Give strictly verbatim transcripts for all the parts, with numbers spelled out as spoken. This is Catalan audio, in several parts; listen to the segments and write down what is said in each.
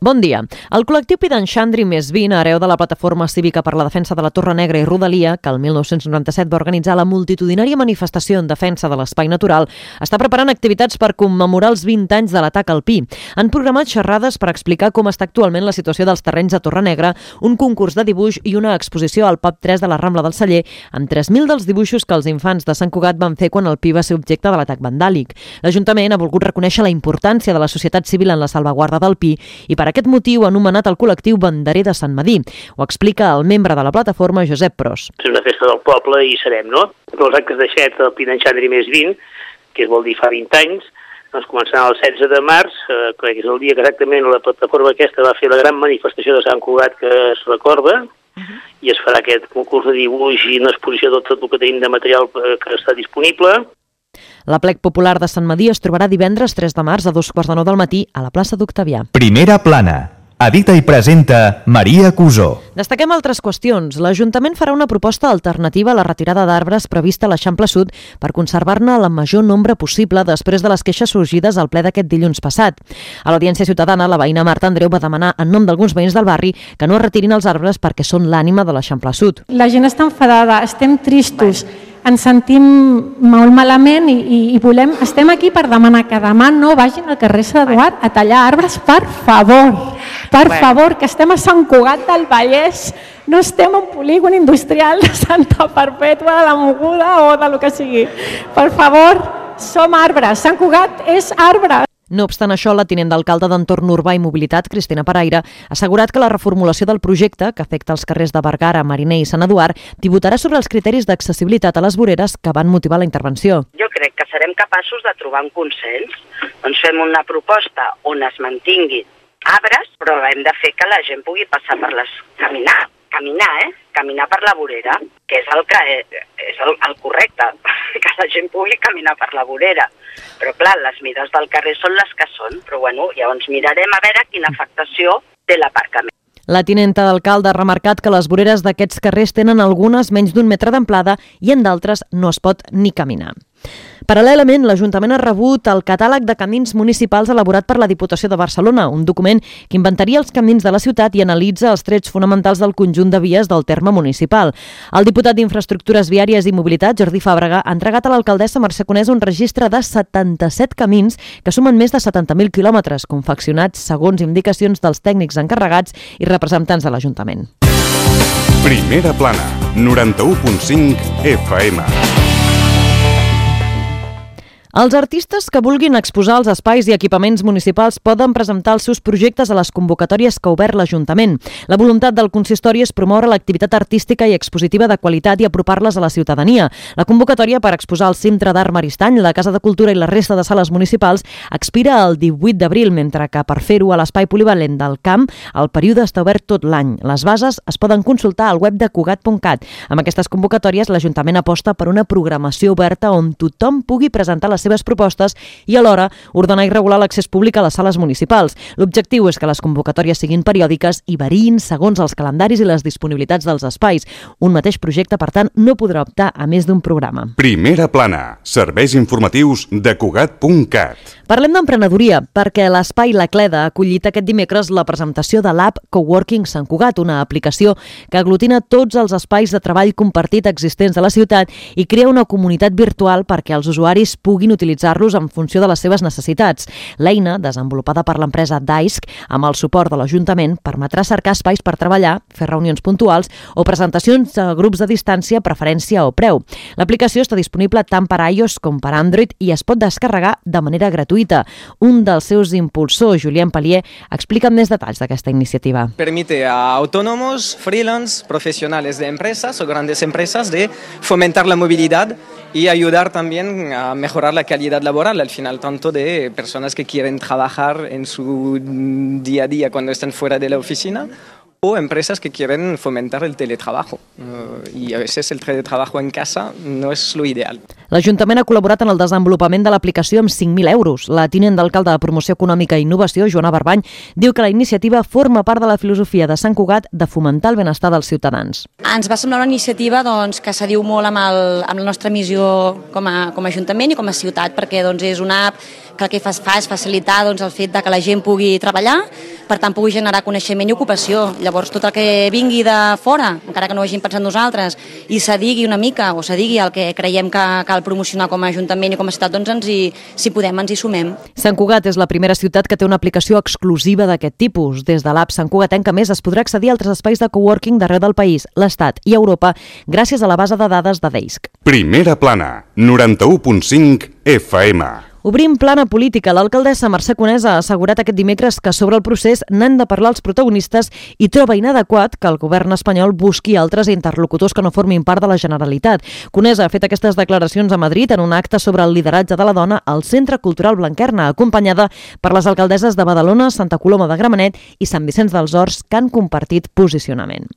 Bon dia. El col·lectiu Pidanxandri més vint, hereu de la Plataforma Cívica per la Defensa de la Torre Negra i Rodalia, que el mil nou-cents noranta-set va organitzar la multitudinària manifestació en defensa de l'espai natural, està preparant activitats per commemorar els vint anys de l'atac alpí. Han programat xerrades per explicar com està actualment la situació dels terrenys a Torre Negra, un concurs de dibuix i una exposició al pub tres de la Rambla del Celler, amb tres mil dels dibuixos que els infants de Sant Cugat van fer quan el pi va ser objecte de l'atac vandàlic. L'Ajuntament ha volgut reconèixer la importància de la societat civil en la salvaguarda del pi i per aquest motiu ha anomenat el col·lectiu Banderer de Sant Madí. Ho explica el membre de la plataforma, Josep Pros. És una festa del poble i serem, no? Els actes de Xet, el Pidanxandri més vint, que vol dir fa vint anys, doncs començaran el setze de març, eh, que és el dia que exactament la plataforma aquesta va fer la gran manifestació de Sant Cugat que es recorda, uh-huh. i es farà aquest concurs de dibuix i una exposició de tot el que tenim de material que està disponible. L'Aplec Popular de Sant Madí es trobarà divendres tres de març a dos quarts de nou del matí a la plaça d'Octavià. Primera plana. Edita i presenta Maria Cusó. Destaquem altres qüestions. L'Ajuntament farà una proposta alternativa a la retirada d'arbres prevista a l'Eixample Sud per conservar-ne el major nombre possible després de les queixes sorgides al ple d'aquest dilluns passat. A l'Audiència Ciutadana, la veïna Marta Andreu va demanar en nom d'alguns veïns del barri que no es retirin els arbres perquè són l'ànima de l'Eixample Sud. La gent està enfadada, estem tristos, ens sentim molt malament i, i, i volem, estem aquí per demanar que demà no vagin al carrer Sant Eduard a tallar arbres, per favor, per favor, que estem a Sant Cugat del Vallès, no estem en un polígon industrial de Santa Perpètua, de la Moguda o de lo que sigui. Per favor, som arbres, Sant Cugat és arbre. No obstant això, la tinent d'alcalde d'Entorn Urbà i Mobilitat, Cristina Paraire, ha assegurat que la reformulació del projecte, que afecta els carrers de Bergara, Mariner i Sant Eduard, tributarà sobre els criteris d'accessibilitat a les voreres que van motivar la intervenció. Jo crec que serem capaços de trobar un consens. Doncs fem una proposta on es mantinguin arbres, però hem de fer que la gent pugui passar per les... caminar, caminar, eh? Caminar per la vorera, que és el que és el, el correcte, que la gent pugui caminar per la vorera. Però clar, les mides del carrer són les que són, però bueno, llavors mirarem a veure quina afectació té l'aparcament. La tinenta d'alcalde ha remarcat que les voreres d'aquests carrers tenen algunes menys d'un metre d'amplada i en d'altres no es pot ni caminar. Paral·lelament, l'Ajuntament ha rebut el catàleg de camins municipals elaborat per la Diputació de Barcelona, un document que inventaria els camins de la ciutat i analitza els trets fonamentals del conjunt de vies del terme municipal. El diputat d'Infraestructures Viàries i Mobilitat, Jordi Fàbrega, ha entregat a l'alcaldessa Mercè Conés un registre de setanta-set camins que sumen més de setanta mil quilòmetres, confeccionats segons indicacions dels tècnics encarregats i representants de l'Ajuntament. Primera plana, noranta-u punt cinc F M. Els artistes que vulguin exposar els espais i equipaments municipals poden presentar els seus projectes a les convocatòries que ha obert l'Ajuntament. La voluntat del consistori és promoure l'activitat artística i expositiva de qualitat i apropar-les a la ciutadania. La convocatòria per exposar al Cintre d'Art Maristany, la Casa de Cultura i la resta de sales municipals expira el divuit d'abril, mentre que per fer-ho a l'Espai Polivalent del Camp el període està obert tot l'any. Les bases es poden consultar al web de cugat punt cat. Amb aquestes convocatòries, l'Ajuntament aposta per una programació oberta on tothom pugui presentar les seves propostes i alhora ordenar i regular l'accés públic a les sales municipals. L'objectiu és que les convocatòries siguin periòdiques i variïn segons els calendaris i les disponibilitats dels espais. Un mateix projecte, per tant, no podrà optar a més d'un programa. Primera plana, serveis informatius de cugat punt cat. Parlem d'emprenedoria, perquè l'Espai La Cleda ha acollit aquest dimecres la presentació de l'app Coworking Sant Cugat, una aplicació que aglutina tots els espais de treball compartit existents de la ciutat i crea una comunitat virtual perquè els usuaris puguin utilitzar-los en funció de les seves necessitats. L'eina, desenvolupada per l'empresa Daisk, amb el suport de l'Ajuntament, permetrà cercar espais per treballar, fer reunions puntuals o presentacions a grups de distància, preferència o preu. L'aplicació està disponible tant per iOS com per Android i es pot descarregar de manera gratuïta. Un dels seus impulsors, Julien Palier, explica més detalls d'aquesta iniciativa. Permite a autónomos, freelance, profesionales de empresas o grandes empresas de fomentar la movilidad y ayudar también a mejorar la calidad laboral, al final, tanto de personas que quieren trabajar en su día a día cuando están fuera de la oficina, o empresas que quieren fomentar el teletrabajo. Uh, y a veces el teletrabajo en casa no es lo ideal. L'Ajuntament ha col·laborat en el desenvolupament de l'aplicació amb cinc mil euros. La tinent d'alcalde de Promoció Econòmica i Innovació, Joana Barbany, diu que la iniciativa forma part de la filosofia de Sant Cugat de fomentar el benestar dels ciutadans. Ens va semblar una iniciativa doncs, que s'adiu molt amb, el, amb la nostra missió com a, com a Ajuntament i com a ciutat, perquè doncs, és una app que el que fa, fa és facilitar doncs, el fet de que la gent pugui treballar, per tant pugui generar coneixement i ocupació. Llavors tot el que vingui de fora, encara que no ho hagin pensat nosaltres, i se digui una mica o se digui el que creiem que cal promocionar com a Ajuntament i com a ciutat, doncs ens hi, si podem ens hi sumem. Sant Cugat és la primera ciutat que té una aplicació exclusiva d'aquest tipus. Des de l'app Sant Cugatenca Més es podrà accedir a altres espais de coworking d'arreu del país, l'Estat i Europa gràcies a la base de dades de Deisk. Primera plana, noranta-u punt cinc F M. Obrim plana política. L'alcaldessa Mercè Conesa ha assegurat aquest dimecres que sobre el procés n'han de parlar els protagonistes i troba inadequat que el govern espanyol busqui altres interlocutors que no formin part de la Generalitat. Conesa ha fet aquestes declaracions a Madrid en un acte sobre el lideratge de la dona al Centre Cultural Blanquerna, acompanyada per les alcaldesses de Badalona, Santa Coloma de Gramenet i Sant Vicenç dels Horts, que han compartit posicionament.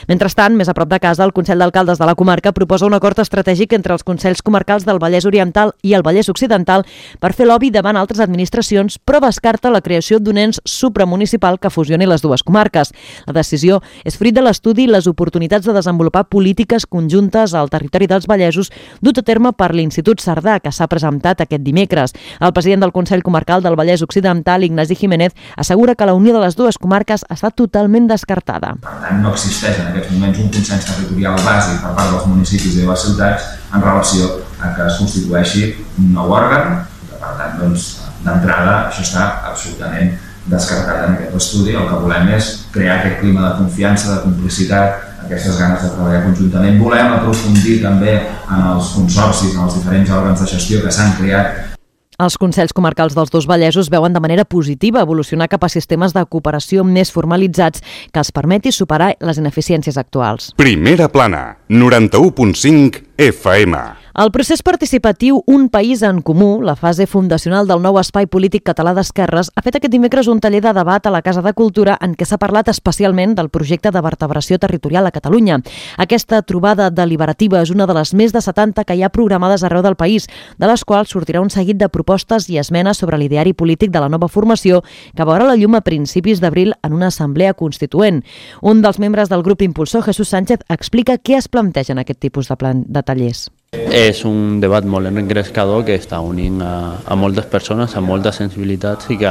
Mentrestant, més a prop de casa, el Consell d'Alcaldes de la comarca proposa un acord estratègic entre els Consells Comarcals del Vallès Oriental i el Vallès Occidental per fer lobby davant altres administracions, però descarta la creació d'un ens supramunicipal que fusioni les dues comarques. La decisió és fruit de l'estudi Les oportunitats de desenvolupar polítiques conjuntes al territori dels Vallesos, dut a terme per l'Institut Cerdà, que s'ha presentat aquest dimecres. El president del Consell Comarcal del Vallès Occidental, Ignasi Jiménez, assegura que la unió de les dues comarques està totalment descartada. Per tant, no existeix en aquests moments un consens territorial bàsic per part dels municipis i de les ciutats en relació a que es constitueixi un nou òrgan. Per tant, doncs, d'entrada, això està absolutament descartat en aquest estudi. El que volem és crear aquest clima de confiança, de complicitat, aquestes ganes de treballar conjuntament. Volem aprofundir també en els consorcis, en els diferents òrgans de gestió que s'han creat. Els Consells Comarcals dels dos Vallesos veuen de manera positiva evolucionar cap a sistemes de cooperació més formalitzats que els permeti superar les ineficiències actuals. Primera plana, noranta-u punt cinc F M. El procés participatiu Un País en Comú, la fase fundacional del nou espai polític català d'esquerres, ha fet aquest dimecres un taller de debat a la Casa de Cultura en què s'ha parlat especialment del projecte de vertebració territorial a Catalunya. Aquesta trobada deliberativa és una de les més de setanta que hi ha programades arreu del país, de les quals sortirà un seguit de propostes i esmenes sobre l'ideari polític de la nova formació que veurà la llum a principis d'abril en una assemblea constituent. Un dels membres del grup impulsor, Jesús Sánchez, explica què es planteja en aquest tipus de, plan, de tallers. És un debat molt engrescador que està unint a, a moltes persones, a moltes sensibilitats i que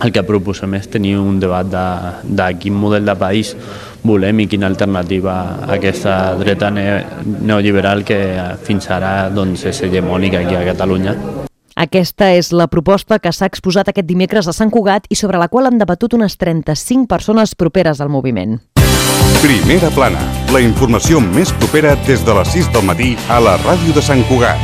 el que proposem és tenir un debat de, de quin model de país volem i quina alternativa a aquesta dreta neoliberal que fins ara doncs, és hegemònica aquí a Catalunya. Aquesta és la proposta que s'ha exposat aquest dimecres a Sant Cugat i sobre la qual han debatut unes trenta-cinc persones properes al moviment. Primera plana, la informació més propera des de les sis del matí a la ràdio de Sant Cugat.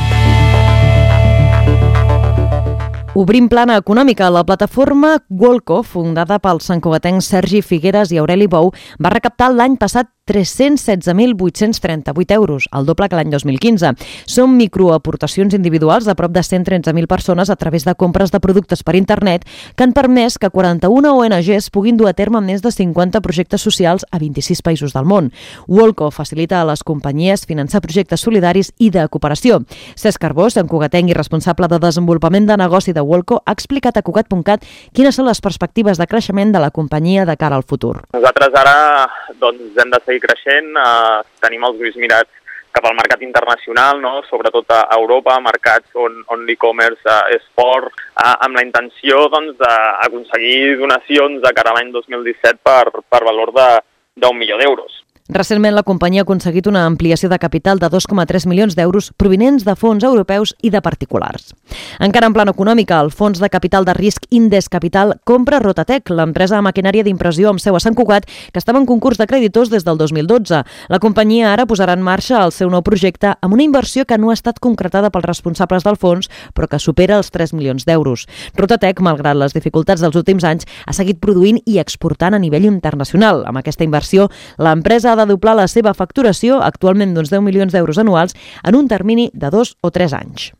Obrim plana econòmica. La plataforma Wolco, fundada pels santcugatencs Sergi Figueres i Aureli Bou, va recaptar l'any passat tres-cents setze mil vuit-cents trenta-vuit euros, el doble que l'any dos mil quinze. Són microaportacions individuals de prop de cent tretze mil persones a través de compres de productes per internet que han permès que quaranta-una O N Ges puguin dur a terme més de cinquanta projectes socials a vint-i-sis països del món. Wolco facilita a les companyies finançar projectes solidaris i de cooperació. Cesc Carbó, santcugatenc i responsable de desenvolupament de negoci de Wolco, ha explicat a Cugat punt cat quines són les perspectives de creixement de la companyia de cara al futur. Nosaltres ara doncs, hem de seguir creixent, eh, tenim els ulls mirats cap al mercat internacional, no? Sobretot a Europa, mercats on, on l'e-commerce eh, és fort, eh, amb la intenció doncs, d'aconseguir donacions de cara a l'any dos mil disset per, per valor de, d'un milió d'euros. Recentment, la companyia ha aconseguit una ampliació de capital de dos coma tres milions d'euros provinents de fons europeus i de particulars. Encara en plan econòmica, el fons de capital de risc Indes Capital compra Rotatec, l'empresa de maquinària d'impressió amb seu a Sant Cugat, que estava en concurs de creditors des del dos mil dotze. La companyia ara posarà en marxa el seu nou projecte amb una inversió que no ha estat concretada pels responsables del fons, però que supera els tres milions d'euros. Rotatec, malgrat les dificultats dels últims anys, ha seguit produint i exportant a nivell internacional. Amb aquesta inversió, l'empresa ha de doblar la seva facturació, actualment d'uns deu milions d'euros anuals, en un termini de dos o tres anys.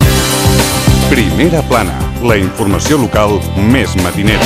Primera plana, la informació local més matinera.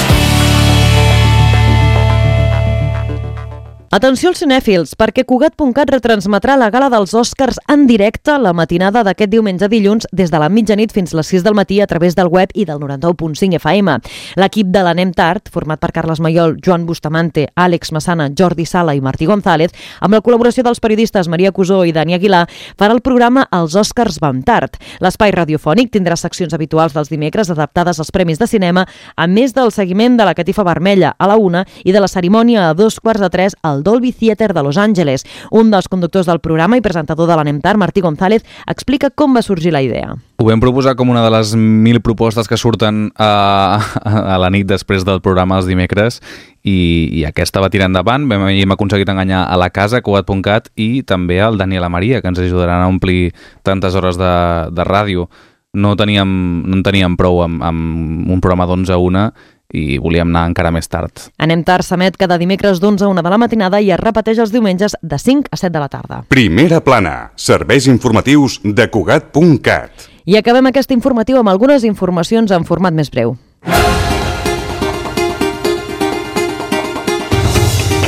Atenció als cinèfils, perquè Cugat punt cat retransmetrà la gala dels Oscars en directe la matinada d'aquest diumenge a dilluns des de la mitjanit fins a les sis del matí a través del web i del noranta-u punt cinc F M. L'equip de l'Anem Tard, format per Carles Mayol, Joan Bustamante, Àlex Massana, Jordi Sala i Martí González, amb la col·laboració dels periodistes Maria Cusó i Dani Aguilar, farà el programa Els Oscars van tard. L'espai radiofònic tindrà seccions habituals dels dimecres adaptades als premis de cinema, a més del seguiment de la catifa vermella a la una i de la cerimònia a dos quarts de tres al Dolby Theatre de Los Angeles. Un dels conductors del programa i presentador de l'Anem Tard, Martí González, explica com va sorgir la idea. Ho vam proposar com una de les mil propostes que surten a, a la nit després del programa els dimecres i, i aquesta va tirar endavant. Vam, hem aconseguit enganyar a la casa, Cugat punt cat, i també al Dani i la Maria, que ens ajudaran a omplir tantes hores de, de ràdio. No teníem, no en teníem prou amb, amb un programa d'onze a una i volíem anar encara més tard. Anem Tard s'emet cada dimecres d'onze a una de la matinada i es repeteix els diumenges de cinc a set de la tarda. Primera plana, serveis informatius de Cugat punt cat. I acabem aquest informatiu amb algunes informacions en format més breu.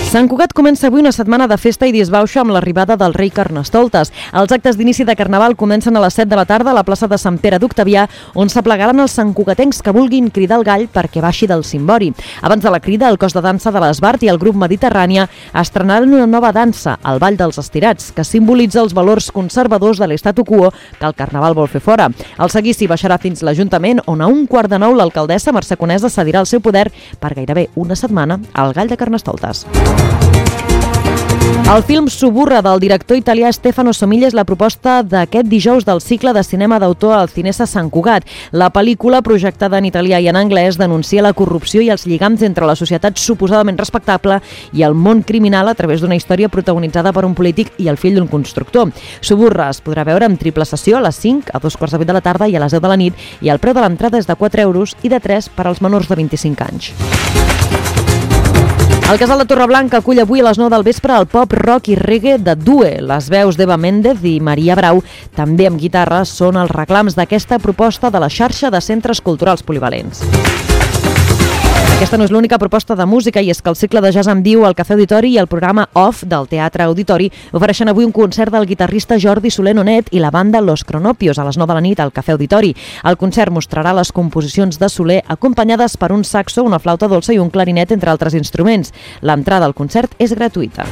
Sant Cugat comença avui una setmana de festa i disbauxa amb l'arribada del rei Carnestoltes. Els actes d'inici de Carnaval comencen a les set de la tarda a la plaça de Sant Pere d'Octavià, on s'aplegaran els santcugatencs que vulguin cridar el gall perquè baixi del cimbori. Abans de la crida, el cos de dansa de l'Esbart i el grup Mediterrània estrenaran una nova dansa, el Ball dels Estirats, que simbolitza els valors conservadors de l'estatu quo que el Carnaval vol fer fora. El seguici baixarà fins l'Ajuntament, on a un quart de nou l'alcaldessa Mercè Conesa cedirà el seu poder per gairebé una setmana al gall de Carnestoltes. El film Suburra del director italià Stefano Somiglia és la proposta d'aquest dijous del cicle de cinema d'autor al Cinesa Sant Cugat. La pel·lícula, projectada en italià i en anglès, denuncia la corrupció i els lligams entre la societat suposadament respectable i el món criminal a través d'una història protagonitzada per un polític i el fill d'un constructor. Suburra es podrà veure en triple sessió a les cinc, a dos quarts de vuit de la tarda i a les deu de la nit, i el preu de l'entrada és de quatre euros i de tres per als menors de vint-i-cinc anys. El Casal de Torreblanca acull avui a les nou del vespre el pop, rock i reggae de Due. Les veus d'Eva Méndez i Maria Brau, també amb guitarra, són els reclams d'aquesta proposta de la xarxa de centres culturals polivalents. Aquesta no és l'única proposta de música, i és que el cicle de jazz en viu al Cafè Auditori i el programa Off del Teatre Auditori ofereixen avui un concert del guitarrista Jordi Soler Nonet i la banda Los Cronopios a les nou de la nit al Cafè Auditori. El concert mostrarà les composicions de Soler acompanyades per un saxo, una flauta dolça i un clarinet, entre altres instruments. L'entrada al concert és gratuïta.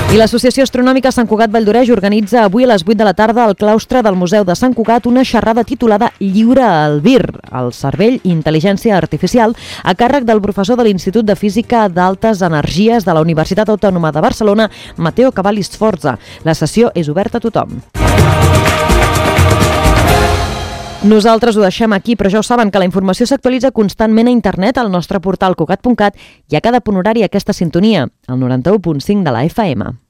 I l'Associació Astronòmica Sant Cugat Valldoreix organitza avui a les vuit de la tarda al claustre del Museu de Sant Cugat una xerrada titulada Lliure al Vir, el cervell i intel·ligència artificial, a càrrec del professor de l'Institut de Física d'Altes Energies de la Universitat Autònoma de Barcelona, Matteo Cavalli Sforza. La sessió és oberta a tothom. Nosaltres ho deixem aquí, però ja ho saben que la informació s'actualitza constantment a internet al nostre portal cugat punt cat i a cada punt horari aquesta sintonia, el noranta-u punt cinc de la F M.